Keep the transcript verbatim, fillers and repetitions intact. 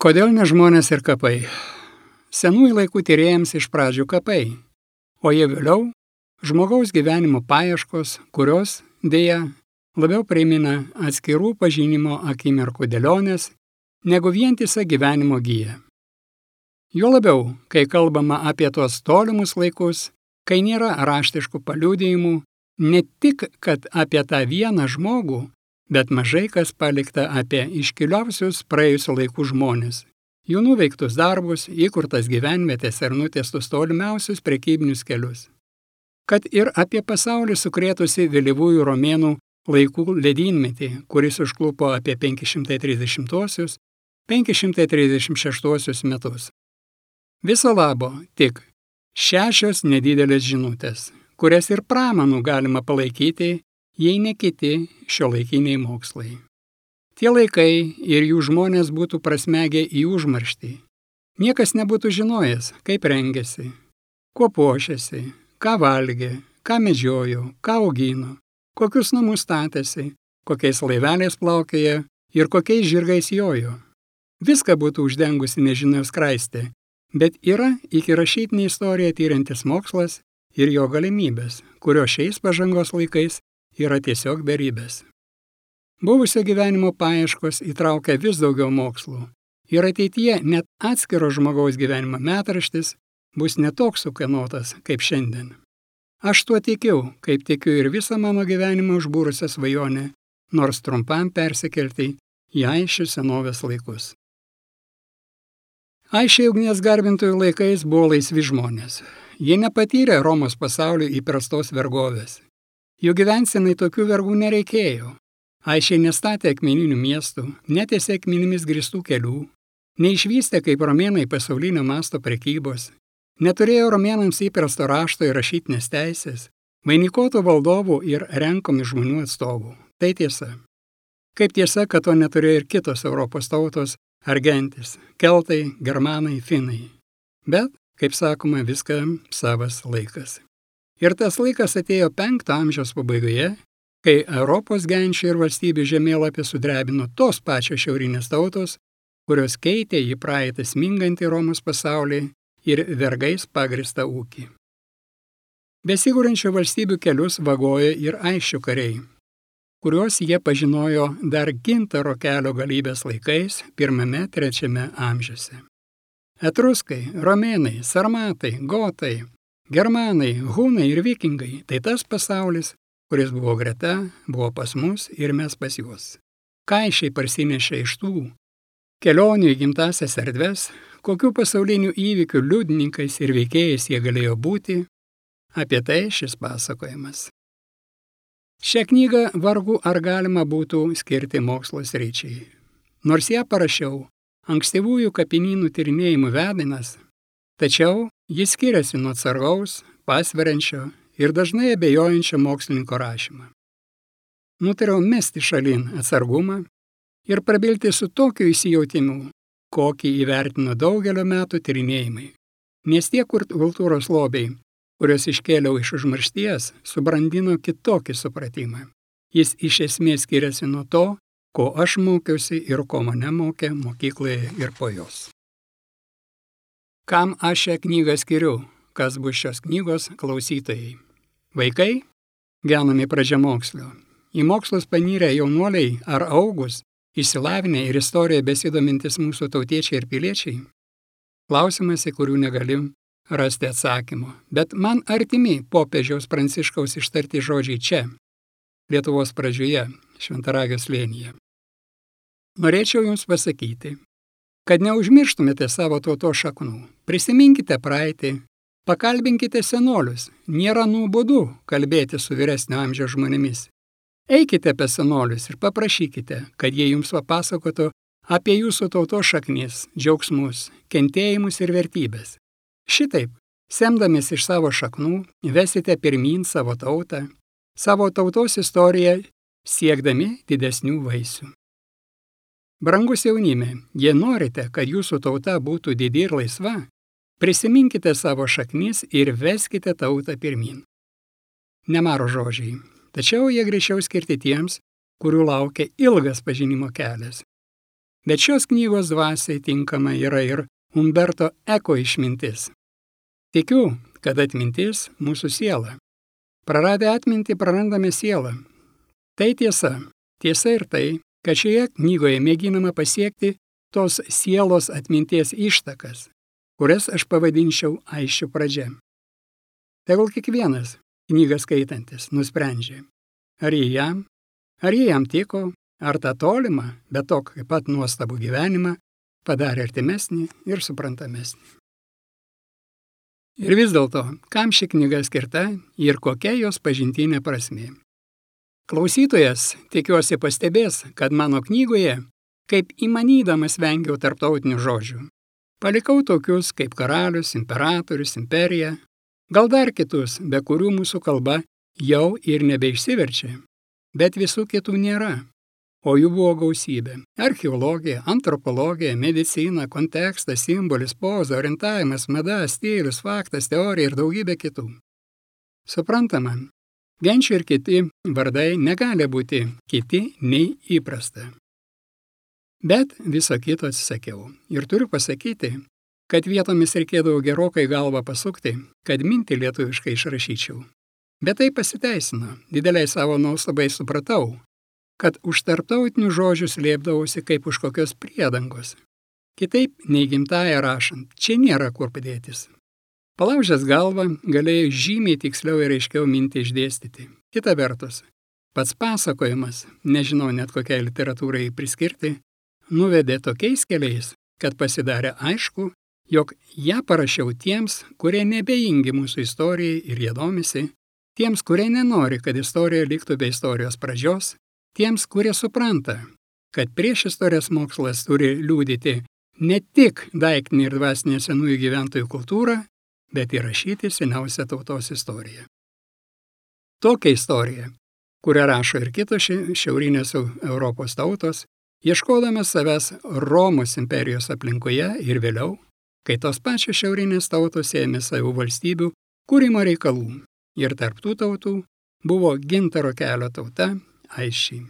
Kodėl ne žmonės ir kapai? Senųjų laikų tyrėjams iš pradžių kapai, o jie vėliau žmogaus gyvenimo paieškos, kurios, dėja, labiau primena atskirų pažinimo akimirkų dėlionės, negu vientisą gyvenimo giją. Juo labiau, kai kalbama apie tuos tolimus laikus, kai nėra raštiškų paliudijimų, ne tik, kad apie tą vieną žmogų, bet mažai kas palikta apie iškiliausius praėjusių laikų žmonės, jų nuveiktus darbus, įkurtas gyvenvietės ir nutiestus tolimiausius prekybinius kelius. Kad ir apie pasaulį sukrėtusi vėlyvųjų romėnų laikų ledynmetį, kuris užklupo apie penki šimtai trisdešimtuosius - penki šimtai trisdešimt šeštuosius metus. Viso labo tik šešios nedidelės žinutės, kurias ir pramanų galima palaikyti, jei ne kiti šiuolaikiniai mokslai. Tie laikai ir jų žmonės būtų prasmegę į užmarštį. Niekas nebūtų žinojęs, kaip rengėsi, kuo puošėsi, ką valgė, ką medžiojo, ką augino, kokius namus statėsi, kokiais laiveliais plaukėja ir kokiais žirgais jojo. Viską būtų uždengusi nežinios skraistė, bet yra iki rašytinį istoriją tyrantis mokslas ir jo galimybės, kurio šiais pažangos laikais yra tiesiog beribės. Buvusio gyvenimo paieškos įtraukia vis daugiau mokslų ir ateityje net atskiro žmogaus gyvenimo metraštis bus netoks sukanotas kaip šiandien. Aš tuo tikiu, kaip tikiu ir visą mano gyvenimą užbūrusią svajonę, nors trumpam persikelti į Aišių senovės laikus. Aišiai ugnies garbintojų laikais buvo laisvi žmonės. Jie nepatyrė Romos pasaulio įprastos vergovės. Jų gyvensenai tokių vergų nereikėjo. Aišiai nestatė akmeninių miestų, netiesė akmenimis grįstų kelių, neišvystė kaip romėnai pasaulinio masto prekybos, neturėjo romėnams įprasto rašto ir rašytinės teisės, vainikuotų valdovų ir renkomi žmonių atstovų. Tai tiesa. Kaip tiesa, kad to neturėjo ir kitos Europos tautos ar gentys – keltai, germanai, finai. Bet, kaip sakoma, viskam savas laikas. Ir tas laikas atėjo penkto amžiaus pabaigoje, kai Europos genčių ir valstybių žemėlapį sudrebino tos pačios šiaurinės tautos, kurios keitė į praeitą smingantį Romos pasaulį ir vergais pagristą ūkį. Besigūrinčių valstybių kelius vagojo ir Aišių kariai, kuriuos jie pažinojo dar gintaro kelio galybės laikais pirmame trečiame amžiuose. Etruskai, romėnai, sarmatai, gotai, germanai, hunai ir vikingai – tai tas pasaulis, kuris buvo greta, buvo pas mus ir mes pas juos. Kaišiai parsinešė iš tų kelionių į gimtasias erdves, kokių pasaulinių įvykių liudininkais ir veikėjais jie galėjo būti, apie tai šis pasakojimas. Šią knygą vargu ar galima būtų skirti mokslo sričiai. Nors ją parašiau ankstyvųjų kapinynų tyrinėjimų vedinas, tačiau jis skiriasi nuo atsargaus, pasveriančio ir dažnai abejojančio mokslininko rašymą. Nutariau mesti šalin atsargumą ir prabilti su tokiu įsijautimu, kokį įvertino daugelio metų tyrinėjimai. Nes tie kultūros lobiai, kurios iškėliau iš užmaršties, subrandino kitokį supratimą. Jis iš esmės skiriasi nuo to, ko aš mokiausi ir ko mane mokė mokykloje ir po jos. Kam aš šią knygą skiriu? Kas bus šios knygos klausytojai? Vaikai? Genami pradžiamokslio. Į mokslus panyrę jaunuoliai ar augus, išsilavinę ir istoriją besidomintis mūsų tautiečiai ir piliečiai? Klausimas, į kurių negalim rasti atsakymo. Bet man artimi popiežiaus Pranciškaus ištarti žodžiai čia, Lietuvos pradžioje, Šventaragio slėnyje. Norėčiau jums pasakyti, kad neužmirštumėte savo tautos šaknų. Prisiminkite praeitį, pakalbinkite senolius. Nėra nuobodu kalbėti su vyresnio amžiaus žmonėmis. Eikite apie senolius ir paprašykite, kad jie jums papasakotų apie jūsų tautos šaknis, džiaugsmus, kentėjimus ir vertybės. Šitaip, semdamis iš savo šaknų, vesite pirmyn savo tautą, savo tautos istoriją, siekdami didesnių vaisių. Brangus jaunime, jei norite, kad jūsų tauta būtų didi ir laisva, prisiminkite savo šaknis ir veskite tautą pirmyn. Nemaro žodžiai, tačiau jie greičiau skirti tiems, kurių laukia ilgas pažinimo kelias. Bet šios knygos dvasiai tinkama yra ir Umberto Eko išmintis. Tikiu, kad atmintis mūsų siela. Praradę atmintį prarandame sielą. Tai tiesa. Tiesa ir tai, kad šioje knygoje mėginama pasiekti tos sielos atminties ištakas, kurias aš pavadinčiau aisčių pradžia. Tegul kiekvienas knygą skaitantis nusprendžia, ar jie jam, ar jie jam tiko, ar tą tolimą, bet tokį pat nuostabų gyvenimą padarė artimesnį ir suprantamesnį. Ir vis dėlto, kam ši knyga skirta ir kokia jos pažintinė prasmė. Klausytojas, tikiuosi, pastebės, kad mano knygoje, kaip įmanydamas vengiau tarptautinių žodžių, palikau tokius kaip karalius, imperatorius, imperija, gal dar kitus, be kurių mūsų kalba jau ir nebeišsiverčia, bet visų kitų nėra, o jų buvo gausybė. Archeologija, antropologija, medicina, kontekstas, simbolis, poza, orientavimas, mada, stilius, faktas, teorija ir daugybė kitų. Suprantama, genčių ir kiti vardai negali būti kiti nei įprasta. Bet viso kito atsisakiau. Ir turiu pasakyti, kad vietomis reikėdavo gerokai galvą pasukti, kad mintį lietuviškai išrašyčiau. Bet tai pasiteisino. Dideliai savo nuostabai supratau, kad už tarptautinių žodžių slėpdavosi kaip už kokios priedangos. Kitaip nei gimtąją rašant, čia nėra kur padėtis. Palaužęs galvą galėjau žymiai tiksliau ir aiškiau mintį išdėstyti. Kita vertus, pats pasakojimas, nežinau net kokiai literatūrai priskirti, nuvedė tokiais keliais, kad pasidarė aišku, jog ją parašiau tiems, kurie nebejingi mūsų istorijai ir jie domisi, tiems, kurie nenori, kad istorija liktų be istorijos pradžios, tiems, kurie supranta, kad prieš istorijos mokslas turi liudyti ne tik daiktinį ir dvasinę senųjų gyventojų kultūrą, bet įrašyti seniausią tautos istoriją. Tokią istoriją, kurią rašo ir kitos šiaurinės Europos tautos, ieškodamas savęs Romos imperijos aplinkoje ir vėliau, kai tos pačios šiaurinės tautos ėmė savų valstybių kūrimo reikalų ir tarp tų tautų buvo Gintaro kelio tauta Aisčiai.